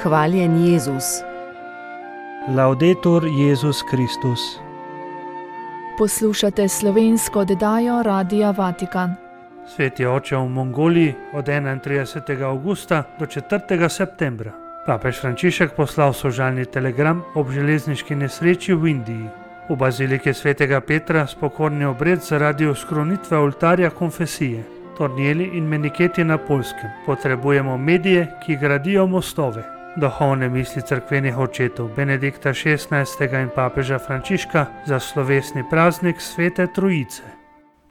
Hvaljen Jezus. Laudetur Jezus Kristus. Poslušate slovensko oddajo Radia Vatikan. Sveti oče v Mongoliji od 31. avgusta do 4. septembra. Papež Frančišek poslal sožalni telegram ob železniški nesreči v Indiji. V baziliki svetega Petra spokorni obred zaradi oskrunitve oltarja konfesije. Tornjeli in meniketi na Poljskem. Potrebujemo medije, ki gradijo mostove. Duhovne misli cerkvenih očetov Benedikta XVI. In papeža Frančiška za slovesni praznik Svete Trojice.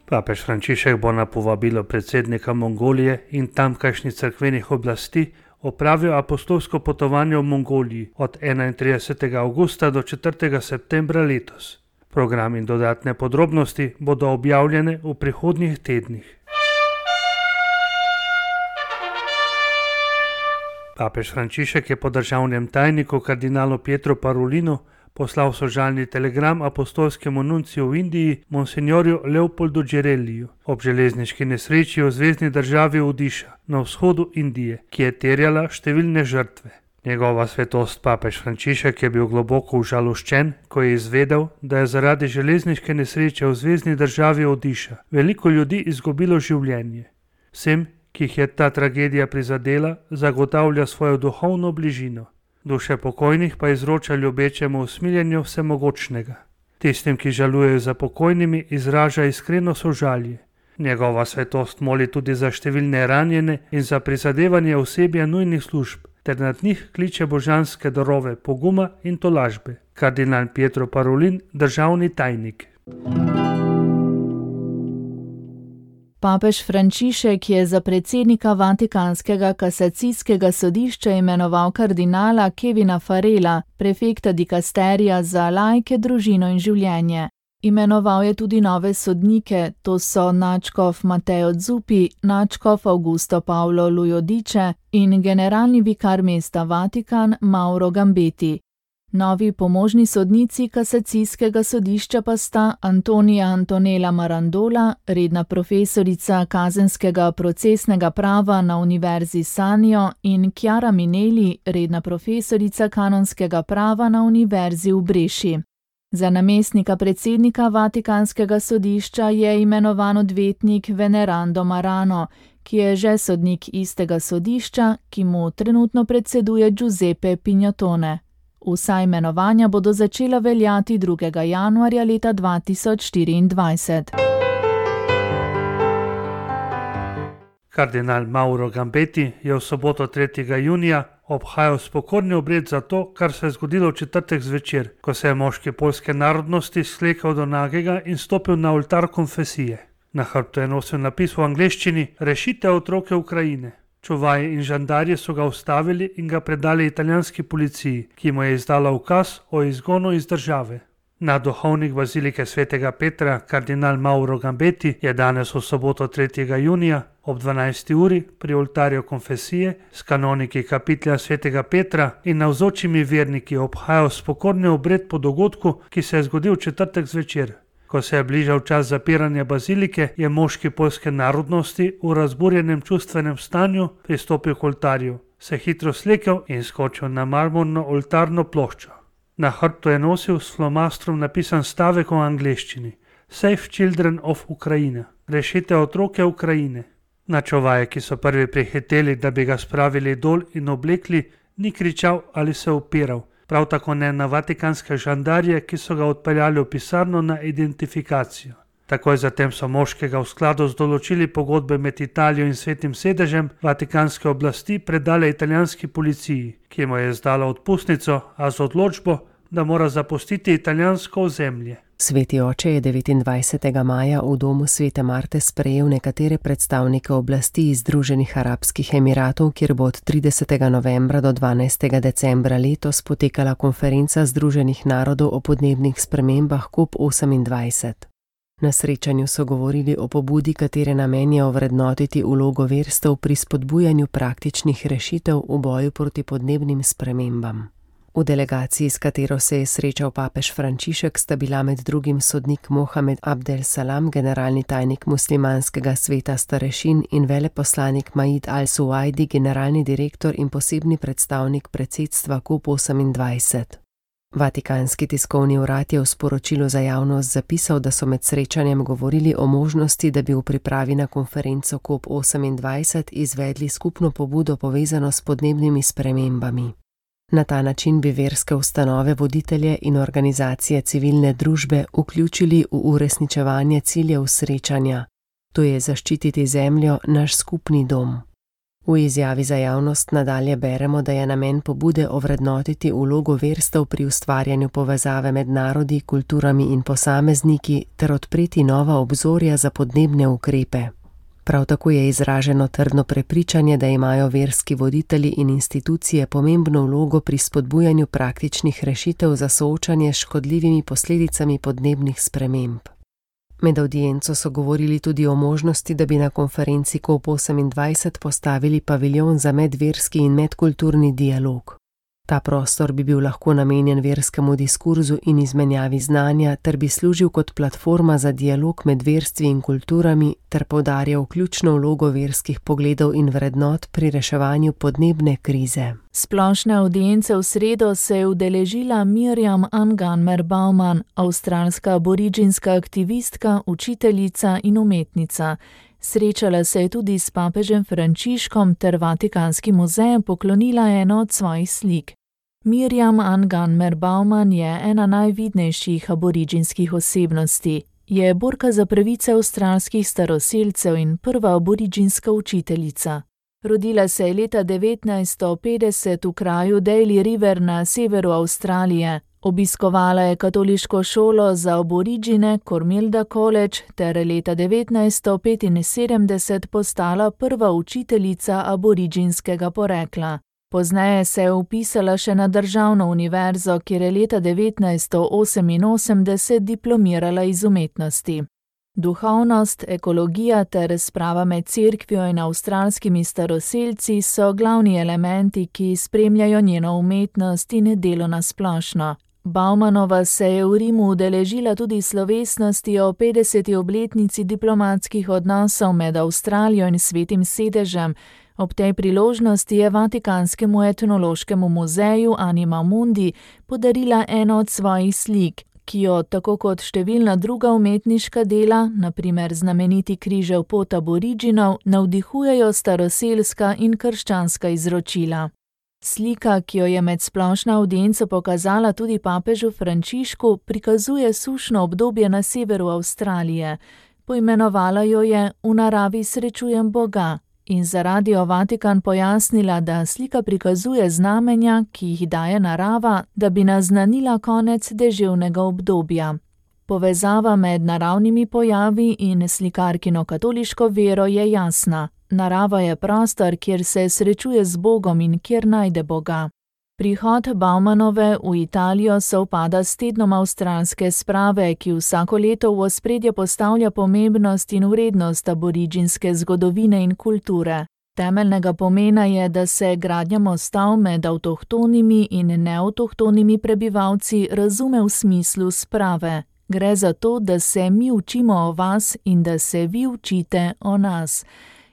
Papež Frančišek bo na povabilo predsednika Mongolije in tamkajšnjih cerkvenih oblasti opravil apostolsko potovanje v Mongoliji od 31. avgusta do 4. septembra letos. Program in dodatne podrobnosti bodo objavljene v prihodnjih tednih. Papež Frančišek je po državnem tajniku kardinalu Pietru Parolinu poslal sožalni telegram apostolskemu nunciju v Indiji monsignorju Leopoldu Džerelliju ob železniški nesreči v zvezni državi Odiša na vzhodu Indije, ki je terjala številne žrtve. Njegova svetost papež Frančišek je bil globoko užaloščen, ko je izvedel, da je zaradi železniške nesreče v zvezni državi Odiša veliko ljudi izgubilo življenje. Vsem, ki jih je ta tragedija prizadela, zagotavlja svojo duhovno bližino. Duše pokojnih pa izroča ljubečemu usmiljenju vsemogočnega. Tistim, ki žalujejo za pokojnimi, izraža iskreno sožalje. Njegova svetost moli tudi za številne ranjene in za prizadevanje osebja nujnih služb, ter nad njih kliče božanske darove poguma in tolažbe. Kardinal Pietro Parolin, državni tajnik. Papež Frančišek je za predsednika Vatikanskega kasacijskega sodišča imenoval kardinala Kevina Farrella, prefekta dikasterija za laike, družino in življenje. Imenoval je tudi nove sodnike, to so nadškof Matteo Zuppi, nadškof Augusto Paolo Lujodiče in generalni vikar mesta Vatikan Mauro Gambetti. Novi pomožni sodnici kasacijskega sodišča pa sta Antonija Antonella Marandola, redna profesorica kazenskega procesnega prava na Univerzi Sanio, in Chiara Minelli, redna profesorica kanonskega prava na Univerzi v Breši. Za namestnika predsednika Vatikanskega sodišča je imenovan odvetnik Venerando Marano, ki je že sodnik istega sodišča, ki mu trenutno predseduje Giuseppe Pignatone. Vsa imenovanja bodo začela veljati 2. januarja leta 2024. Kardinal Mauro Gambetti je v soboto 3. junija obhajal spokorni obred za to, kar se je zgodilo v četrtek zvečer, ko se je moški poljske narodnosti slekal do nagega in stopil na oltar konfesije. Na hrbtu je nosil napis v angleščini: Rešite otroke Ukrajine. Čuvaji in žandarji so ga ustavili in ga predali italijanski policiji, ki mu je izdala ukaz o izgonu iz države. Nadduhovnik bazilike svetega Petra, kardinal Mauro Gambetti, je danes v soboto 3. junija ob 12. uri pri oltarju konfesije s kanoniki kapitelja svetega Petra in navzočimi verniki obhajal spokorni obred po dogodku, ki se je zgodil v četrtek zvečer. Ko se je bližal čas zapiranja bazilike, je moški poljske narodnosti v razburjenem čustvenem stanju pristopil k oltarju, se hitro slekel in skočil na marmorno oltarno ploščo. Na hrbtu je nosil s flomastrom napisan stavek v angleščini: Save children of Ukraine, rešite otroke Ukrajine. Na čuvaje, ki so prvi prihiteli, da bi ga spravili dol in oblekli, ni kričal ali se upiral. Prav tako ne na vatikanske žandarje, ki so ga odpeljali v pisarno na identifikacijo. Takoj zatem so moškega v skladu z določili pogodbe med Italijo in Svetim sedežem vatikanske oblasti predale italijanski policiji, ki mu je izdala odpustnico, a z odločbo, da mora zapustiti italijansko ozemlje. Sveti oče je 29. maja v domu Svete Marte sprejel nekatere predstavnike oblasti iz Združenih arabskih emiratov, kjer bo od 30. novembra do 12. decembra letos potekala konferenca Združenih narodov o podnebnih spremembah COP28. Na srečanju so govorili o pobudi, katere namen je ovrednotiti vlogo verstev pri spodbujanju praktičnih rešitev v boju proti podnebnim spremembam. V delegaciji, s katero se je srečal papež Frančišek, sta bila med drugim sodnik Mohamed Abdel Salam, generalni tajnik muslimanskega sveta starešin, in veleposlanik Maid al-Suwaidi, generalni direktor in posebni predstavnik predsedstva COP28. Vatikanski tiskovni urad je v sporočilu za javnost zapisal, da so med srečanjem govorili o možnosti, da bi v pripravi na konferenco COP28 izvedli skupno pobudo povezano s podnebnimi spremembami. Na ta način bi verske ustanove, voditelje in organizacije civilne družbe vključili v uresničevanje ciljev srečanja, to je zaščititi zemljo, naš skupni dom. V izjavi za javnost nadalje beremo, da je namen pobude ovrednotiti vlogo verstev pri ustvarjanju povezave med narodi, kulturami in posamezniki ter odpreti nova obzorja za podnebne ukrepe. Prav tako je izraženo trdno prepričanje, da imajo verski voditelji in institucije pomembno vlogo pri spodbujanju praktičnih rešitev za soočanje s škodljivimi posledicami podnebnih sprememb. Med avdienco so govorili tudi o možnosti, da bi na konferenci COP28 postavili paviljon za medverski in medkulturni dialog. Ta prostor bi bil lahko namenjen verskemu diskurzu in izmenjavi znanja ter bi služil kot platforma za dialog med verstvi in kulturami ter poudarjal ključno vlogo verskih pogledov in vrednot pri reševanju podnebne krize. Splošne avdience v sredo se je udeležila Mirjam Anganmer Bauman, avstralska aboriginska aktivistka, učiteljica in umetnica. Srečala se je tudi s papežem Frančiškom ter Vatikanskim muzejem poklonila eno od svojih slik. Mirjam Anganmer Bauman je ena najvidnejših aboriginskih osebnosti. Je borka za pravice avstralskih staroselcev in prva aboriginska učiteljica. Rodila se je leta 1950 v kraju Daly River na severu Avstralije. Obiskovala je katoliško šolo za aborigine Cormilda College ter leta 1975 postala prva učiteljica aboriginskega porekla. Pozneje se je vpisala še na državno univerzo, kjer je leta 1988 diplomirala iz umetnosti. Duhovnost, ekologija ter sprava med cerkvijo in avstralskimi staroselci so glavni elementi, ki spremljajo njeno umetnost in delo na splošno. Baumanova se je v Rimu udeležila tudi slovesnosti o 50. obletnici diplomatskih odnosov med Avstralijo in Svetim sedežem. Ob tej priložnosti je Vatikanskemu etnološkemu muzeju Anima Mundi podarila eno od svojih slik, ki jo, tako kot številna druga umetniška dela, na primer znameniti križev pot aboriginov, navdihujejo staroselska in krščanska izročila. Slika, ki jo je med splošno avdienco pokazala tudi papežu Frančišku, prikazuje sušno obdobje na severu Avstralije. Poimenovala jo je V naravi srečujem Boga in za Radio Vatikan pojasnila, da slika prikazuje znamenja, ki jih daje narava, da bi naznanila konec deževnega obdobja. Povezava med naravnimi pojavi in slikarkino katoliško vero je jasna. Narava je prostor, kjer se srečuje z Bogom in kjer najde Boga. Prihod Baumanove v Italijo sovpada s tednom avstralske sprave, ki vsako leto v ospredje postavlja pomembnost in vrednost aboriginske zgodovine in kulture. Temeljnega pomena je, da se gradnja mostov med avtohtonimi in neavtohtonimi prebivalci razume v smislu sprave. Gre za to, da se mi učimo o vas in da se vi učite o nas,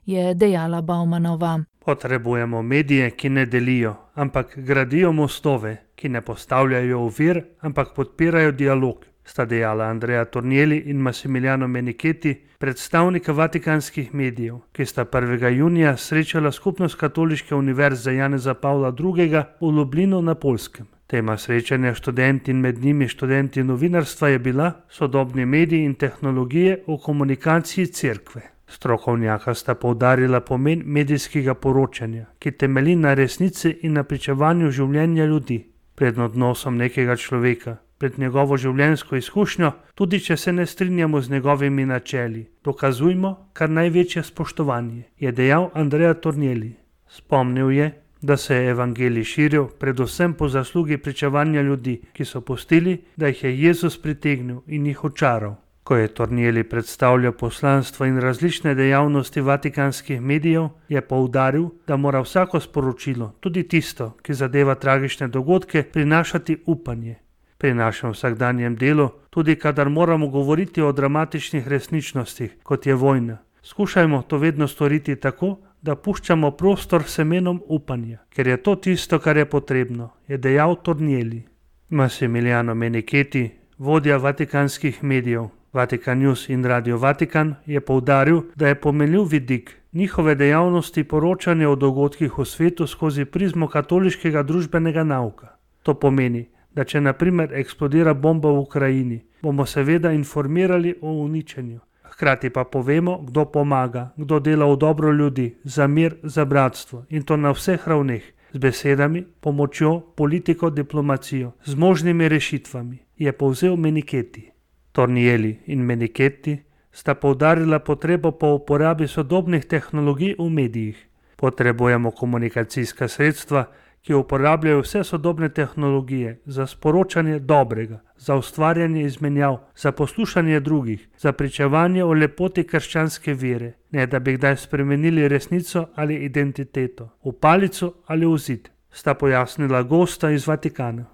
je dejala Baumanova. Potrebujemo medije, ki ne delijo, ampak gradijo mostove, ki ne postavljajo ovir, ampak podpirajo dialog, sta dejala Andrea Tornielli in Massimiliano Menichetti, predstavnika vatikanskih medijev, ki sta 1. junija srečala skupnost Katoliške univerze Janeza Pavla II. V Lublinu na Poljskem. Tema srečanja študenti in med njimi študenti novinarstva je bila sodobni mediji in tehnologije v komunikaciji cerkve. Strokovnjaka sta poudarila pomen medijskega poročanja, ki temelji na resnici in na pričevanju življenja ljudi, pred odnosom nekega človeka, pred njegovo življenjsko izkušnjo, tudi če se ne strinjamo z njegovimi načeli. Dokazujmo kar največje spoštovanje, je dejal Andrea Tornielli. Spomnil je, da se je evangelij širil predvsem po zaslugi pričevanja ljudi, ki so pustili, da jih je Jezus pritegnil in jih očaral. Ko je Tornielli predstavljal poslanstvo in različne dejavnosti vatikanskih medijev, je poudaril, da mora vsako sporočilo, tudi tisto, ki zadeva tragične dogodke, prinašati upanje. Pri našem vsakdanjem delu, tudi kadar moramo govoriti o dramatičnih resničnostih, kot je vojna, skušajmo to vedno storiti tako, da puščamo prostor semenom upanja, ker je to tisto, kar je potrebno, je dejal Tornielli. Massimiliano Menichetti, vodja vatikanskih medijev, Vatikan News in Radio Vatikan, je poudaril, da je pomenljiv vidik njihove dejavnosti poročanje o dogodkih v svetu skozi prizmo katoliškega družbenega nauka. To pomeni, da če na primer eksplodira bomba v Ukrajini, bomo seveda informirali o uničenju. Hkrati pa povemo, kdo pomaga, kdo dela v dobro ljudi, za mir, za bratstvo in to na vseh ravneh, z besedami, pomočjo, politiko, diplomacijo, z možnimi rešitvami, je povzel Menichetti. Tornielli in Menichetti sta poudarila potrebo po uporabi sodobnih tehnologij v medijih. Potrebujemo komunikacijska sredstva, ki uporabljajo vse sodobne tehnologije za sporočanje dobrega, za ustvarjanje izmenjav, za poslušanje drugih, za pričevanje o lepoti krščanske vere, ne da bi kdaj spremenili resnico ali identiteto, v palico ali v zid, sta pojasnila gosta iz Vatikana.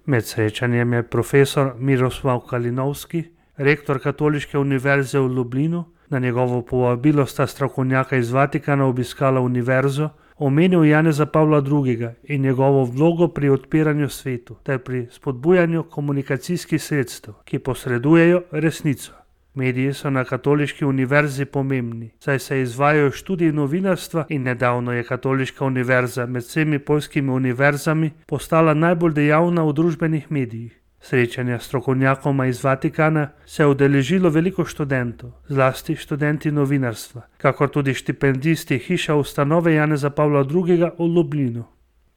Med srečanjem je profesor Miroslav Kalinovski, rektor Katoliške univerze v Lublinu, na njegovo povabilo sta strokovnjaka iz Vatikana obiskala univerzo, omenil Janeza Pavla II. In njegovo vlogo pri odpiranju svetu ter pri spodbujanju komunikacijskih sredstev, ki posredujejo resnico. Mediji so na Katoliški univerzi pomembni, saj se izvajajo študiji novinarstva in nedavno je Katoliška univerza med vsemi poljskimi univerzami postala najbolj dejavna v družbenih medijih. Srečanja s strokovnjakoma iz Vatikana se je udeležilo veliko študentov, zlasti študenti novinarstva, kakor tudi štipendisti Hiša ustanove Janeza Pavla II. V Lublinu.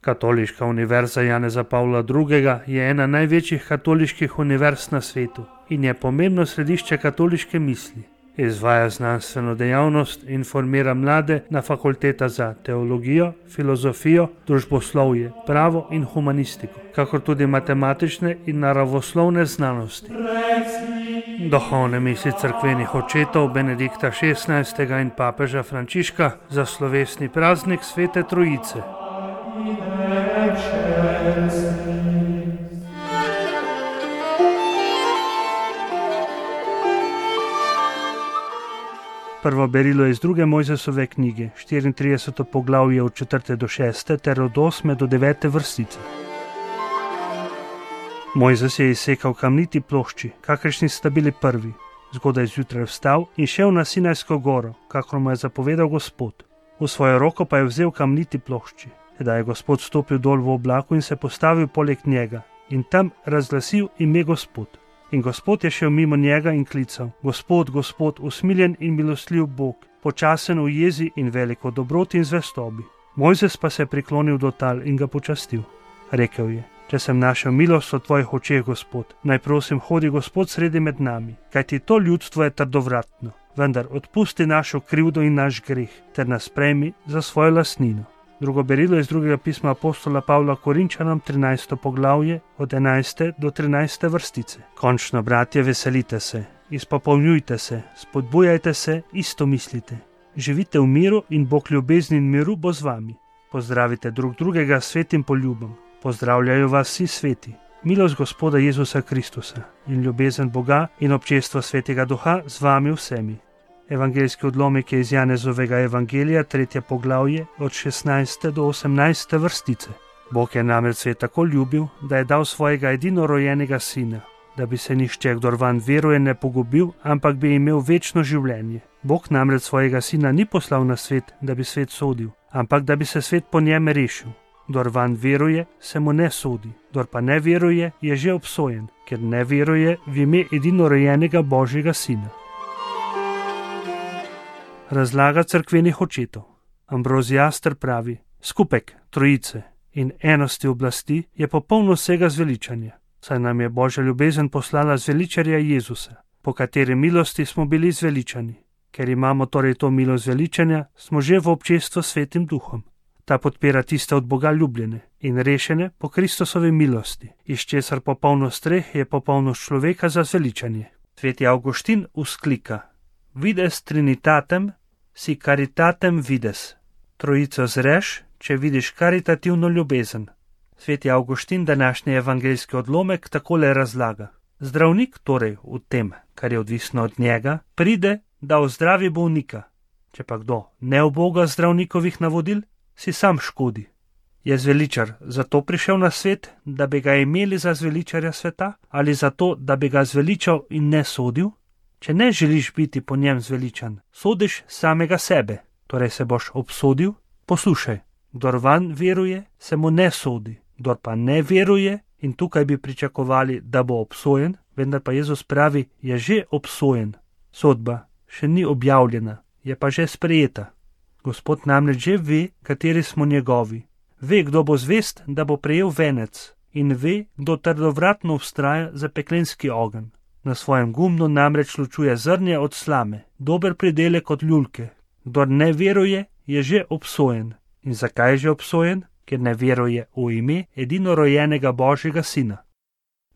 Katoliška univerza Janeza Pavla II. Je ena največjih katoliških univerz na svetu in je pomembno središče katoliške misli. Izvaja znanstveno dejavnost in informira mlade na fakulteta za teologijo, filozofijo, družboslovje, pravo in humanistiko, kakor tudi matematične in naravoslovne znanosti. Duhovne misli cerkvenih očetov Benedikta XVI. In papeža Frančiška za slovesni praznik Svete Trojice. Prvo berilo je iz 2. Mojzesove knjige, 34. poglavje od 4. do 6. ter od 8. do 9. vrstice. Mojzes je izsekal kamniti plošči, kakršni sta bili prvi. Zgodaj zjutraj vstal in šel na Sinajsko goro, kakor mu je zapovedal Gospod. V svojo roko pa je vzel kamniti plošči. Tedaj je Gospod stopil dol v oblaku in se postavil poleg njega in tam razglasil ime Gospod. In Gospod je šel mimo njega in klical: Gospod, Gospod, usmiljen in milostljiv Bog, počasen v jezi in veliko dobroti in zvestobi. Mojzes pa se je priklonil do tal in ga počastil. Rekel je: Če sem našel milost v tvojih očeh, Gospod, naj prosim hodi Gospod sredi med nami, kajti to ljudstvo je trdovratno, vendar odpusti našo krivdo in naš greh, ter nas prejmi za svojo lastnino. Drugo berilo iz 2. pisma apostola Pavla Korinčanom, 13. poglavje, od 11. do 13. vrstice. Končno, bratje, veselite se, izpopolnjujte se, spodbujajte se, isto mislite. Živite v miru in Bog ljubezni in miru bo z vami. Pozdravite drug drugega s svetim poljubom. Pozdravljajo vas vsi sveti. Milost Gospoda Jezusa Kristusa in ljubezen Boga in občestvo Svetega Duha z vami vsemi. Evangeljski odlomek je iz Janezovega evangelija, 3. poglavje, od 16. do 18. vrstice. Bog je namreč svet tako ljubil, da je dal svojega edinorojenega sina, da bi se nihče, kdor vanj veruje, ne pogubil, ampak bi imel večno življenje. Bog namreč svojega sina ni poslal na svet, da bi svet sodil, ampak da bi se svet po njem rešil. Kdor vanj veruje, se mu ne sodi, kdor pa ne veruje, je že obsojen, ker ne veruje v ime edinorojenega Božjega sina. Razlaga cerkvenih očetov. Ambroziaster pravi: skupek trojice in enosti oblasti je popolno vsega zveličanja, saj nam je Božja ljubezen poslala zveličarja Jezusa, po kateri milosti smo bili zveličani. Ker imamo torej to milost zveličanja, smo že v občestvu s Svetim Duhom. Ta podpira tiste od Boga ljubljene in rešene po Kristusovi milosti, iz česar popolnost treh je popolnost človeka za zveličanje. Sveti Avguštin vzklika: Vides trinitatem si caritatem vides. Trojico zreš, če vidiš karitativno ljubezen. Sveti Avguštin današnji evangeljski odlomek takole razlaga: Zdravnik torej v tem, kar je odvisno od njega, pride, da ozdravi bolnika. Če pa kdo ne uboga zdravnikovih navodil, si sam škodi. Je zveličar zato prišel na svet, da bi ga imeli za zveličarja sveta, ali zato, da bi ga zveličal in ne sodil? Če ne želiš biti po njem zveličan, sodiš samega sebe, torej se boš obsodil. Poslušaj, kdor vanj veruje, se mu ne sodi, kdor pa ne veruje, in tukaj bi pričakovali, da bo obsojen, vendar pa Jezus pravi, je že obsojen. Sodba še ni objavljena, je pa že sprejeta. Gospod namreč že ve, kateri smo njegovi. Ve, kdo bo zvest, da bo prejel venec, in ve, kdo trdovratno vztraja za peklenski ogenj. Na svojem gumnu namreč ločuje zrnje od slame, dober pridelek od ljulke. Kdor ne veruje, je že obsojen. In zakaj je že obsojen? Ker ne veruje v ime edinorojenega Božjega Sina.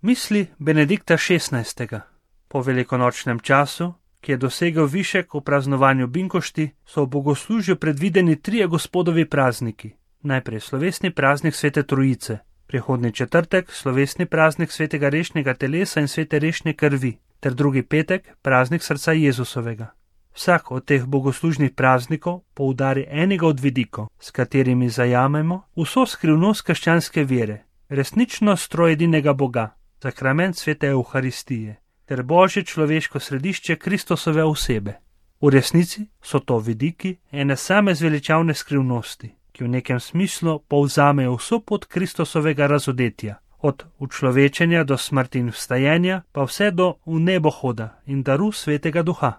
Misli Benedikta XVI. Po velikonočnem času, ki je dosegel višek v praznovanju binkošti, so v bogoslužju predvideni 3 Gospodovi prazniki. Najprej slovesni praznik Svete Trojice, prihodnji četrtek slovesni praznik Svetega rešnjega telesa in Svete rešne krvi, ter drugi petek praznik srca Jezusovega. Vsak od teh bogoslužnih praznikov poudari enega od vidikov, s katerimi zajamemo vso skrivnost krščanske vere, resničnost trojedinega Boga, sakrament Svete Evharistije, ter Božje človeško središče Kristusove osebe. V resnici so to vidiki ene same zveličavne skrivnosti, ki v nekem smislu povzamejo vso pot Kristusovega razodetja, od učlovečenja do smrti in vstajenja, pa vse do v nebohoda in daru Svetega Duha.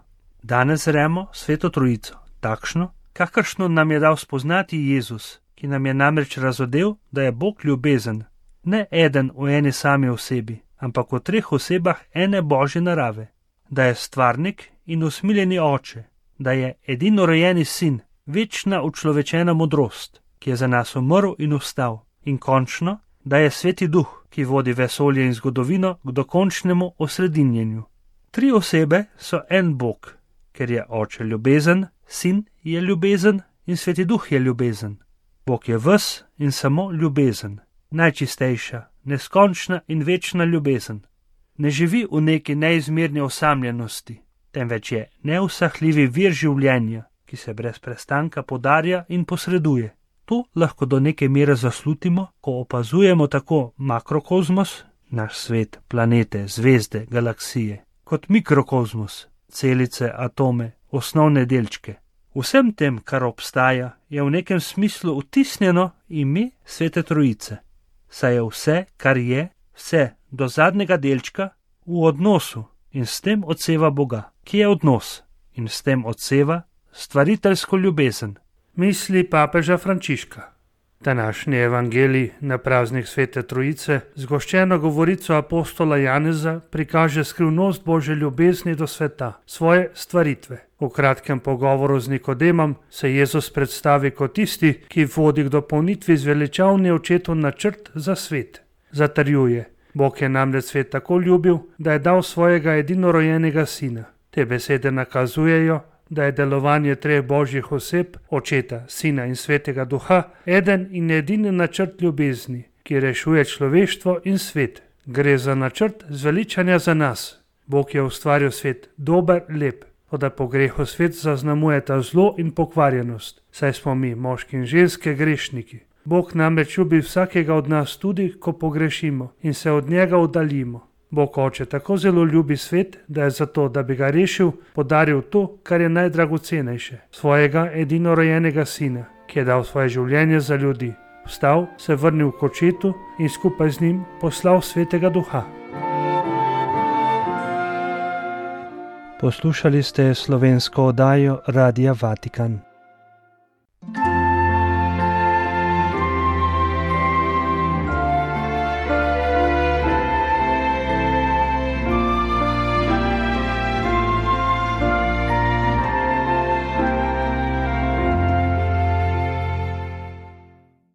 Danes zremo Sveto Trojico, takšno, kakršno nam je dal spoznati Jezus, ki nam je namreč razodel, da je Bog ljubezen, ne eden v eni sami osebi, ampak v 3 osebah ene Božje narave, da je stvarnik in usmiljeni oče, da je edinorojeni sin, večna učlovečena modrost, ki je za nas umrl in vstal, in končno, da je Sveti Duh, ki vodi vesolje in zgodovino k dokončnemu osredinjenju. 3 osebe so en Bog, ker je oče ljubezen, sin je ljubezen in Sveti Duh je ljubezen. Bog je ves in samo ljubezen, najčistejša, neskončna in večna ljubezen. Ne živi v neki neizmerni osamljenosti, temveč je neusahljivi vir življenja, ki se brez prestanka podarja in posreduje. To lahko do neke mere zaslutimo, ko opazujemo tako makrokozmos, naš svet, planete, zvezde, galaksije, kot mikrokozmos, celice, atome, osnovne delčke. Vsem tem, kar obstaja, je v nekem smislu vtisnjeno ime Svete Trojice. Saj je vse, kar je, vse do zadnjega delčka, v odnosu in s tem odseva Boga, ki je odnos in s tem odseva stvariteljsko ljubezen. Misli papeža Frančiška. Današnji evangelij na praznik Svete Trojice z goščeno govorico apostola Janeza prikaže skrivnost Božje ljubezni do sveta, svoje stvaritve. V kratkem pogovoru z Nikodemom se Jezus predstavi kot tisti, ki vodi k dopolnitvi zveličavni očetov načrt za svet. Zatrjuje: Bog je namreč svet tako ljubil, da je dal svojega edinorojenega sina. Te besede nakazujejo, da je delovanje 3 Božjih oseb, Očeta, Sina in Svetega Duha, eden in edini načrt ljubezni, ki rešuje človeštvo in svet. Gre za načrt zveličanja za nas. Bog je ustvaril svet dober, lep, toda po grehu svet zaznamujeta zlo in pokvarjenost, saj smo mi, moški in ženske, grešniki. Bog namreč ljubi vsakega od nas tudi, ko pogrešimo in se od njega oddaljimo. Bog Oče tako zelo ljubi svet, da je zato, da bi ga rešil, podaril to, kar je najdragocenejše, svojega edinorojenega sina, ki je dal svoje življenje za ljudi. Vstal, se vrnil k Očetu in skupaj z njim poslal Svetega Duha. Poslušali ste slovensko oddajo Radia Vatikan.